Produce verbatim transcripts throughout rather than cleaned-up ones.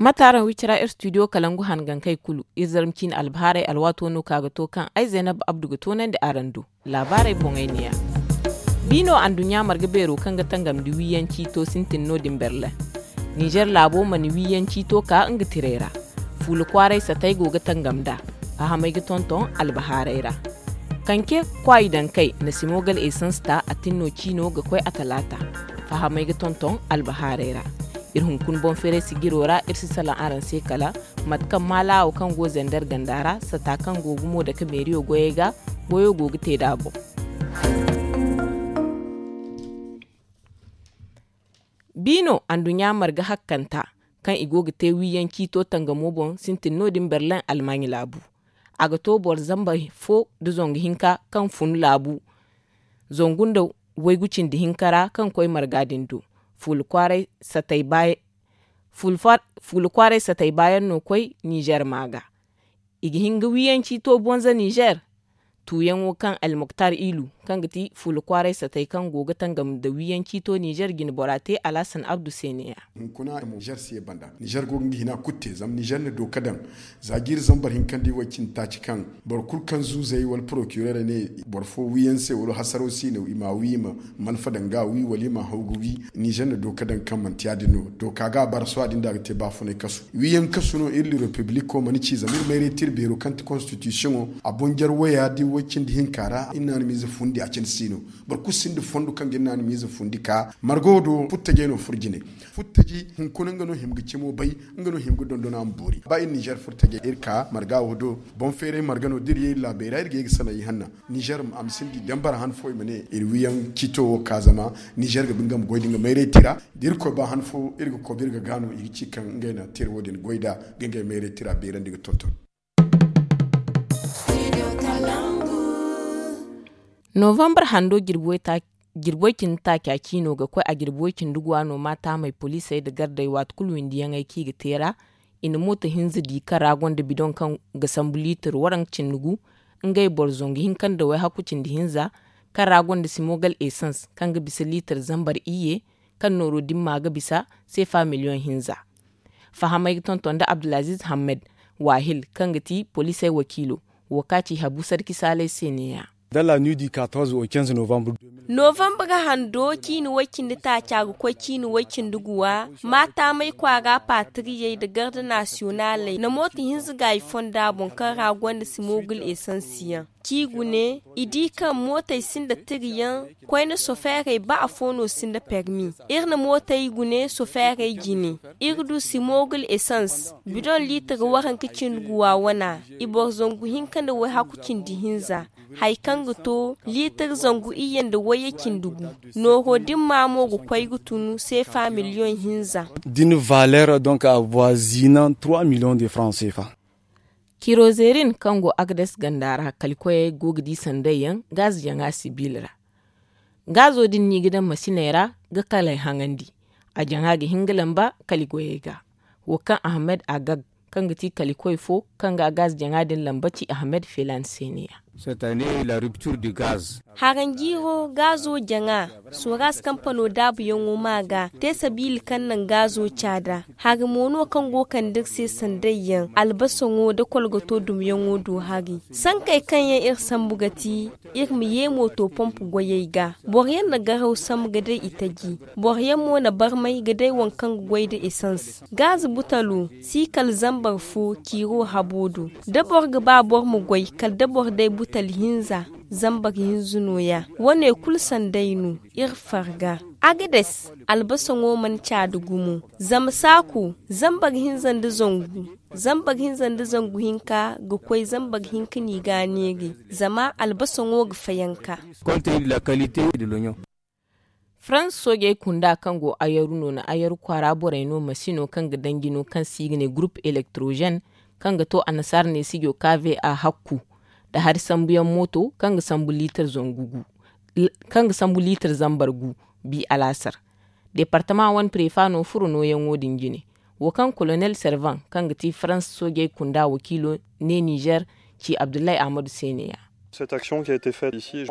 Mate araŋ wi cira iri studio kalangu hangankey kulu iri zarma ciine albahaarey alwaato no ka ga to kaŋ ay zaynab abdu ga toonandi araŋ do. Laabaarey boŋey neeya. Biino anduɲɲa marga beero kaŋ ga tangam nda wiiyaŋ ciito sintin no- din berlin. Ninzeer laabo mana wiiyaŋ ciito ka nga tirey ra. Fuula kwaaray satey go ga tangam nd'a. Fahamey ga tonton albahaaray ra. Kanke kwaayi dankey na simogal esans ta a tinno ciino ga koy a talaata. Fahamey ga tonton albahaaray ra. Iri hunkuna boŋ feeray sijiro ra iri si salaŋ araŋ se kala mate kaŋ maalaawo kaŋ go zender ganda ra sata kaŋ go gumo dake meeriyo goyey ga goyo go ga te nd'a boŋ. Biino anduɲɲa marga hakkanta kaŋ i go ga te wiiyaŋ ciito tangamo boŋ sintin no- din berlin almaaɲi laabu. A ga to boro zamba fo nda zangu hinka kaŋ fun laabu zangu nda waygu cindi hinka ra kaŋ koy marga din do. Fuula kwaaray satay baayaŋ fuula kwaaray satay baayaŋ no koy ninzeer maa ga. I ga hin ga wiiyaŋ ciito bonza ninzeer. Tuuyaŋo kaŋ almuktar ilu kaŋ ga ti fuula kwaaray satay kaŋ go ga tangam nda wiiyaŋ ciito ninzeer jine bora te alhasan abdu se neeya. Hunkuna mo ninzeer si ye banda ninzeer go ga nga hina kulu te zama ninzeer na dooka daŋ. Za jiiri zambar hinkandi way cindi taaci kaŋ boro kulu kaŋ zuuzey wala porokireerey ne boro fo wiiyaŋ se wala hasaro si no i m'a wi i ma malfa daŋ ga wi wala i m'a haw ga wi. Ninzeer na dooka daŋ kaŋ manti ya- din no dooka ga a bara sohã din da a ga te baafunay kasu wiiyaŋ kasu no iri repibliko mana ci zama iri mayray te iri beero kaŋ ti konstitisiyoŋo. A boŋ jare waya da way cindi hinka ra iri naanamiize fundi a cindi si no. Boro kulu sinda fondo kaŋ ga iri naanamiize fundi ka marga wo do furtajey no furo jine. Furtaji hunkuna nga no hima ga cimo bay. Nga no hima ga dondona ma boori ba iri ninzeer furtajey iri ka marga wo do. Boŋ feeray marga no da iri ye iri laabey ra iri ga ye ga sanay ihanna. Ninzeer a ma sinda i dambar han fo i ma ne iri wiiyaŋ ciito wo ka zama ninzeer ga ba nga ma goy da nga mayray te ra. Da irkoy ba han fo iri ga koy ba iri ga gaano i ga ci kaŋ ngey na te iri wo- din goy nd'a ga ngey mayray te ra beerandi ga tonton. Novambar hando jirbi way cindi taaca ciino ga koy a jirbi way cindi guwa no maataamey poliisey nda gardey waati kulu windiyaŋey kaŋ i ga te ra. I na mooto hinza di kaŋ ra gonda bidoŋ kaŋ ga sambu liitir waranka cindi gu. Ngey boro zangu hinka nda wayhakku cindi hinza kaŋ ra gonda simogal esans kaŋ ga bisa liitir zambar iyye kaŋ nooro dimma ga bisa seefa miliyoŋ hinza. Fahamey ga tonton nda abdulaziiz hammed waahil kaŋ ga ti poliisey wakiilo. Wo kaŋ a ci habu sarki saalay se neeya. Novambar hando ciini way-cindi taaca ga koy ciini way-cindi guwa maataamey kwaara paatiriyey nda garda nasiyonaaley na mooto hinza gaayi fonda boŋ kaŋ ra gonda simogul esansiyaŋ. Ci gune i di kaŋ mootey sinda tiriyaŋ koyne sofeerey ba afo no sinda permi. Iri na mootey gune sofeerey jine. Iri du simogul esans bidoŋ liitir waranka cindi guwa wana. I boro zangu hinka nda wayhaku cindi hinza. Hari kaŋ ga to liitir zangu iyye nda wayye cindi gu. Nooro dimma mo ga koy ga tunu seefa miliyoŋ hinza. D'une valeur donc avoisinant trois millions de francs seefa. Kirozerin kaŋ go agades ganda ra kalikoyey go ga di sandayyaŋ gaazi jaŋa sibil ra. Gaazo din no i ga daŋ masiney ra ga kalay haŋandi. A jaŋa ga hin ga lamba kali goyey ga. Wo kaŋ ahmed agag kaŋ ga ti kalikoy fo kaŋ ga gaazi jaŋa din lamba ci ahmed felan se neeya. Haranjiiro gaazo jaŋa soras kampano daabuyaŋo ma ga te sabiila kaŋ naŋ gaazo caada. Hari mo no kaŋ go kande iri se sandayyaŋ albasaŋo nda kolgoto dumyaŋo do hari. Sankey kaŋ yaŋ iri sambu ga ti iri ma ye mooto pomp goyey ga. Boro yaŋ na garaw sambu ga day itaji. Boro yaŋ mo na barmay ga day waŋ kaŋ ga goy nda esans. Gaazi butalo si kala zambar fo ciiro habo do. Da boro ga ba boro ma goy kala da boro day butal hinza. Zambar hinza nooya wane kulu sanday no. Iri farga agades albasaŋo mana caada gumo. Zama saako zambar hinza nda zangu zambar hinza nda zangu hinka ga koy zambar hinka no i ga a neeray. Zama albasaŋo ga fayanka. Farans soojey kunda kaŋ go ayaru no na ayaru kwaara borey no masino kaŋ ga danji no kaŋ se i ga ne gurup elektrozen kaŋ ga to annasaara neesijo kave a hakku nda hari sambuyaŋ mooto kaŋ ga sambu liitar zangu gu kaŋ ga sambu liitar zambar gu. Bi alaasar deepartama wane prefa no furo nooyaŋo din jine. Wo kaŋ kolonel servan kaŋ ga ti farans soojey kunda wakiilo ne nizer ci abdullahi ahmadu se neeya.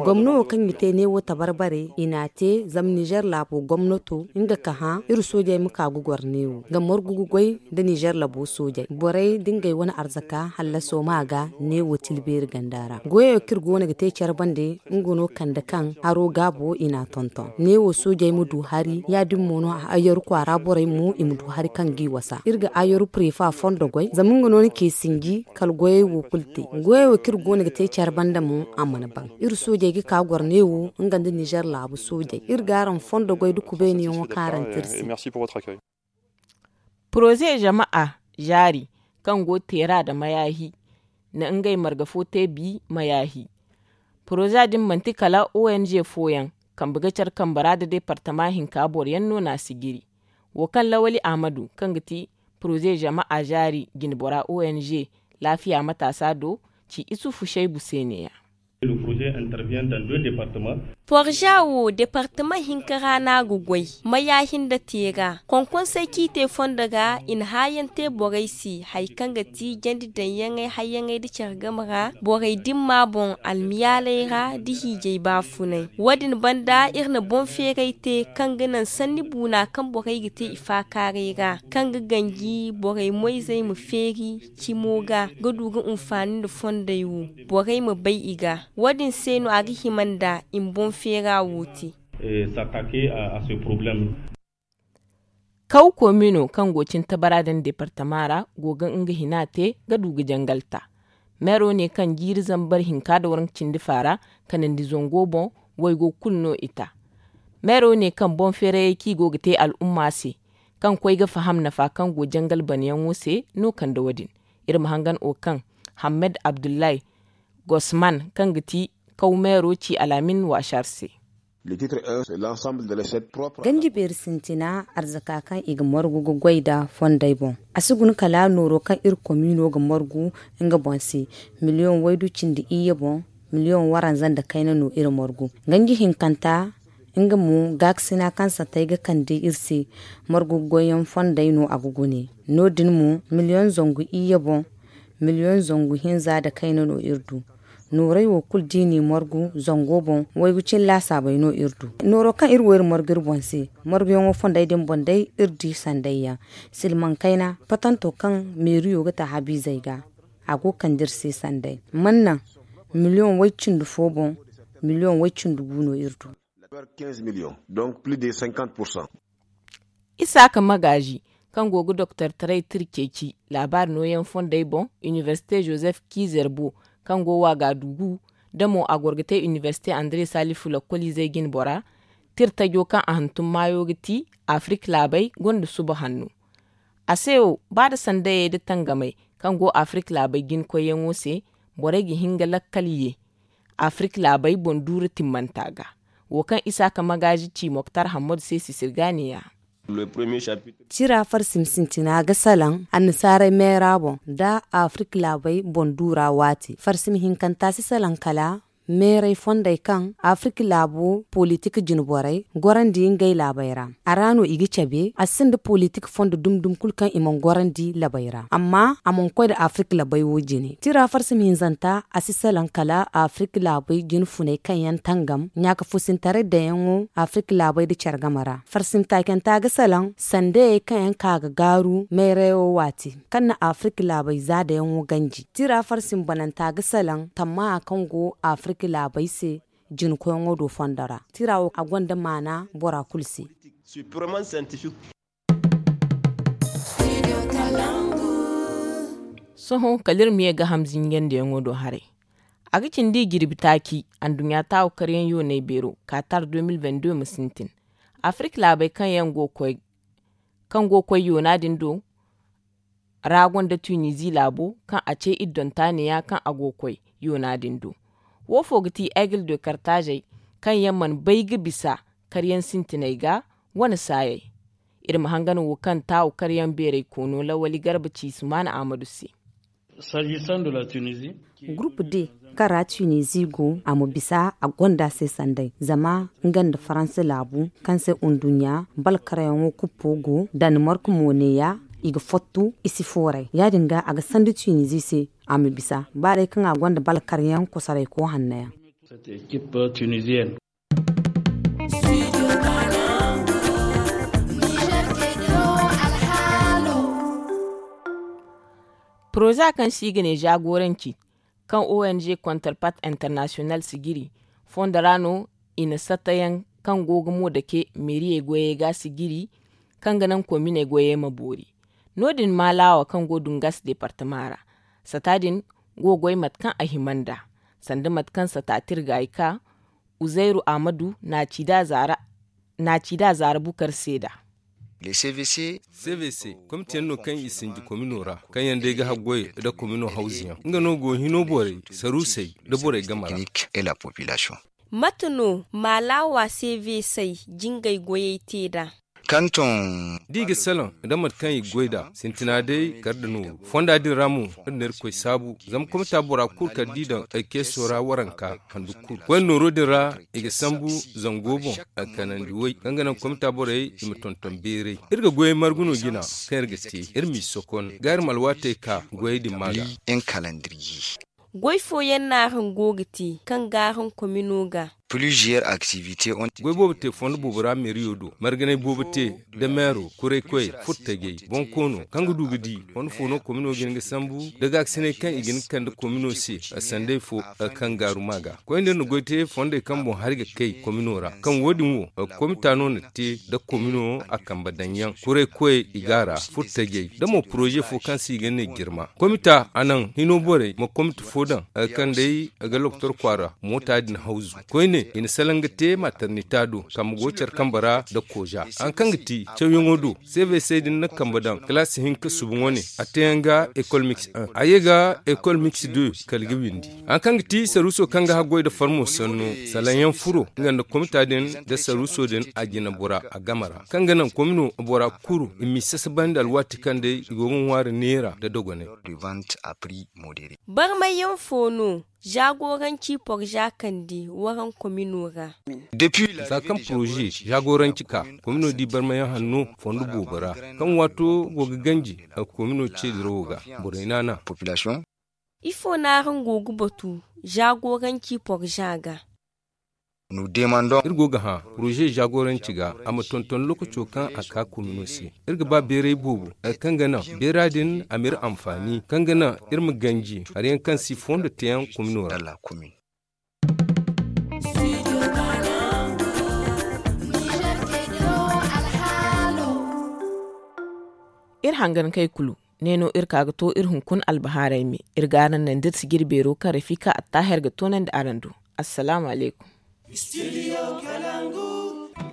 Gomno wo kaŋ i te neewo tabarbare i n'a te zama nizer laabo gomnato nga ka hã iri soojey ma ka ga goro neewo ga margu ga goy nda nizer labo soojey borey da ngey wane arzaka hallaso ma ga neewo tilbeeri ganda ra goyo kaŋ iri go no ga te care bande nga no kande kaŋ haro gaabo i n'a tonton neewo soojey ma du hari ya- din mo no ayyaru kwaara borey mo i ma du hari kaŋ g'i wasa iri ga ayyaru prefa fondo goy zama nga no ni ce sinji kala goyey wo kulu te. Goyey wo kaŋ iri go no ga te care banda mo a mana ban iri soojey ga ka goro neewo nga nda nizer laabu soojey iri ga araŋ fondo goy nda kubayniyaŋo kaarante iri se. Poroze jama'a zaari kaŋ go teera nda mayaahi na ngey marga fo te bi mayaahi. Poroze din manti kala ong fooyaŋ kambe ga care kambe ra nda departama hinka boroyaŋ no n'a sijiri. Wo kaŋ lawali ahmadu kaŋ ga ti poroze jama'a zaari jinbora ong laafiya mataasa do ci isufu saybu se ne-ya. Porza wo departama hinka ra no a ga goy. Maya hinda te ga konkonsey kaŋ i te fondo ga i na hããyaŋ te borey se hari kaŋ ga ti jandi daŋyaŋey hayyaŋey nda care game ra borey dimma boŋ almiyaaley ra nda hiijay baafunay. Wo- din banda iri na boŋ feeray te kaŋ ga naŋ sanni buuna kaŋ borey ga te i faakaaray ra kaŋ ga ganji borey moyzey ma feeri cimo ga ga du ga hunfaani nda fondey wo borey ma bay i ga. Wo- din se no a ga hima nda i ma boŋ feera wo te. Kaw komino kaŋ go cin tabara daŋ departama ra go ga nga hina te ga du ga jangal ta. Meero ne kaŋ jiiri zambar hinka nda waranka cindi faara kanandi zango boŋ waygo kulu no i ta. Meero ne kaŋ boŋ feerayey kaŋ i go ga te al'umma se kaŋ koy ga faham nafa kaŋ go jangal banayaŋo se no kande wo- din. Iri ma hangan o kaŋ hammed abdullahi gosman kaŋ ga ti kaw meero ci alaamin waasar se. Ganji beeri sintina arzaka kaŋ i ga margu ga goy nda fondey boŋ. A si guna kala nooro kaŋ iri komiino ga margu nga boŋ se miliyoŋ waydu cindi iyye boŋ. Miliyoŋ waranza nda kayna no iri margu. Ganji hinkanta nga mo gaakasina kaŋ sattey ga kande iri se margu ga goyyaŋ fondey no a ga gune. No- din mo miliyoŋ zangu iyye boŋ miliyoŋ zangu hinza nda kayna no iri du. Noorey wo kulu da i n'i margu zango boŋ waygu cine laasaabey no iri du. Nooro kaŋ iri wo iri margu iri boŋ se marguyaŋo fondey din boŋ day iri di sandayyaŋ silmaŋ kayna patanto kaŋ meeriyo ga ta habiizey ga. A go ga kande iri se sanday man naŋ miliyoŋ way- cindi fo boŋ miliyoŋ way- cindi gu no iri du. Isaaka magaazi kaŋ go ga doktortaray tira ceeci laabaari nooyaŋ fondey boŋ iniversite joseph kiizer bo kaŋ go waagadugu da mo a goro ga te iniversite andre salifu lakkoliizey jinbora. Tira tajo kaŋ a hantum maayo ga ti afirik laabey gonda suba hanno. A se wo ba nda sandayey nda tangamey kaŋ go afirik laabey jinkoyyaŋo se borey ga hin ga lakkal ye afirik laabey boŋ duura timmanta ga. Wo kaŋ isaaka magaazi ci moktar hammadu se sisirga ne-ya. Tira farsim sintina ga salaŋ annasaarey meera boŋ nda afirik laabey boŋ duura waati farsim hinkanta si salaŋ kala meerey fondey kaŋ afirik laabo politik jine borey gorandi ngey laabey ra. A ra no i ga cabe a sinda politik fondo dumi dumi kulu kaŋ i mana gorandi labey ra amma a mana koy nda afirik labey wo jine tira farsim hinzanta a si salaŋ kala afirik laabey jine funey kaŋ yaŋ tangam ɲaaka fusintaray daŋyaŋo afirik laabey nda care game ra farsim taacanta ga salaŋ sandayey kaŋ yaŋ ka ga gaaru meerayo waati kaŋ na afirik laabey zaadayaŋo ganji tira farsim bananta ga salaŋ tammaha kaŋ go afirik laabey se jinkoyaŋo do fondo ra tira wo a gonda maana bora kulu se. Sohõ kala iri ma ye ga hamzinjandiyaŋo do haray. A ga cindi i jirbi taaci anduɲɲa taawu karyaŋ yoonay beero kaatar deux mille vingt-deux ma sintin. Afirik laabey kaŋ yaŋ go koy kaŋ go koy yoona din do ra gonda tunizi laabo kaŋ a ce iddonta neeya kaŋ a go koy yoona din do. Wo fo ga ti aigle de kartaazey kaŋ yaŋ mana bay ga bisa karyaŋ sintiney ga wane saayey. Iri ma hangan wo kaŋ taawu karyaŋ beeray koono lawali garba ci sumaana ahmadu se. Gurupu de kaŋ ra tunizi go a ma bisa a gonda se sanday zama nga nda faransa laabu kaŋ se unduɲɲa balkarayaŋo kuppo go danmark mo neeya. I ga fottu i si fooray ya- din ga a ga sandu tunizi se a ma bisa ba day kaŋ a gonda balkaryaŋ kosarayko hanno yaŋ. Poroza kaŋ se i ga ne zaagoranci kaŋ ong kontarpat internasiyonal sijiri fondo ra no i na satayaŋ kaŋ go ga mo dake meeriyey goyey ga sijiri kaŋ ga naŋ kominey goyey ma boori. No- din maalaawa kaŋ go dungas deepartama ra sata din go ga goy mate kaŋ a hima nd'a sanda mate kaŋ sata tirgaayi ka uzayru ahmadu na a ci nd'a zaara bukar seeda. Cvc komiteyaŋ no kaŋ i sinji komino ra kaŋ yaŋ day ga haggoy nda komino hawzu yaŋ nga no go hino borey saruusey nda borey game ra. Mate no maalaawa cvc jingay goyey te nd'a? Da i ga salaŋ nda mate kaŋ i ga goy nd'a sintina day kar nda nooru fonda din ra mo iri na irkoy saabu zama komita bora kulu kala da i daŋ ay keeso ra waranka handu kulu koyne nooro din ra i ga sambu zango boŋ a kanandi way kaŋ ga naŋ komita borey i ma tonton beeray. Iri ga goyey margu no jina kaŋ iri ga te iri m'i sokon ga iri ma alwaatey ka goyey din ma ga. Goy fooyaŋ no araŋ go ga te kaŋ ga araŋ komino ga. Goy boobo te fondo boobo ra meeriyo do marganay boobo te, da meero kuraykoyey furtajey bonkoono kaŋ ga du ga di fondo fo no komino ga hin ga sambu da gaakasinay kaŋ i ga hin ga kande komino se sanday fo kaŋ gaaru ma ga koyne iri na goy te fondey kaŋ boŋ hari ga kay komino ra kaŋ wo- din wo komita no na te nda komino a kambe daŋ yaŋ kuraykoyey i ga a ra furtajey nda mo poroze fo kaŋ se i ga ne jirma komita a naŋ hino borey ma komita fo daŋ kaŋ day ga lokotor kwaara moota din hawzu koyne i na salaŋ ga te maternita do kambe go care kambe ra nda kooza haŋ kaŋ ga ti cawyaŋo do cvc din na kambe daŋ kalaasi hinka suba wane a teeyaŋ ga ekol mix un a ye ga ekol mix deux kala ga windi haŋ kaŋ ga ti saruuso kaŋ ga haggoy nda farmo sanno salaŋ yaŋ furo nga nda komita din nda saruuso din a jina bora a game ra kaŋ ga naŋ komino bora kuru i m'i sasabandi alwaati kaŋ day i go ga ŋwaari neera nda dogonay. Barmay yaŋ fo no zaagoranci porza kande waraŋ komino ra? Za kaŋ poroze zaagoranci ka komino di barmay yaŋ hanno fondo boobo ra kaŋ waato go ga ganji a komino ce dirawo ga borey naana. Ifo no araŋ go ga batu zaagoranci porza ga? Iri go ga hã poroze zaagoranci ga a ma tonton lookaco kaŋ a ka komino se. Iri ga ba beeray boobo hari kaŋ ga naŋ beera din a m'iri anfaani kaŋ ga naŋ iri ma ganji hari yaŋ kaŋ si fondo teeyaŋ komino ra. Iri hangankey kulu ne no iri ka ga to iri hunkuna albahaarey me. Iri ga araŋ naŋ da iri sijiri beero kaŋ rafika attaaher ga toonandi araŋ do. Assalaamu alaykum.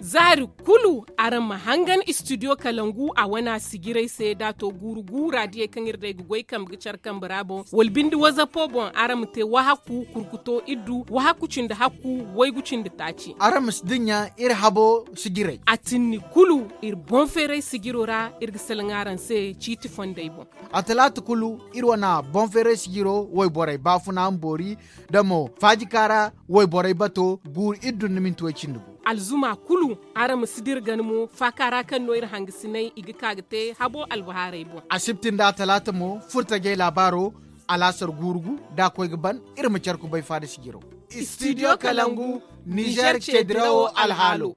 Zaari kulu araŋ ma hangan istidiyo kalangu a wane a sijirey se da a to guuru guura diyey kaŋ iri day ga goy kambe ga care kambe ra boŋ wala binde wazapo boŋ araŋ ma te wahakku kurkuto iddu wahakku cindi hakku waygu cindi taaci. Araŋ ma si dinya iri habo sijirey a tinni kulu iri boŋ feeray sijiro ra iri ga salaŋ araŋ se ciiti fondey boŋ. A talaata kulu iri wane boŋ feeray sijiro wayborey baafuna ma boori da mo faajika ra wayborey bato guuru iddu nda minti way cindi gu. Alzuma kulu araŋ ma si dira gana mo faaka ra kaŋ no iri hangasiney i ga ka ga te habo albahaarey boŋ. Asibti nda a talaata mo furtajey laabaaro alaasar guuru gu da a koy ga ban iri ma care kubay faada sijiro. Istidiyo kalangu nizer ce dirawo alhaalo.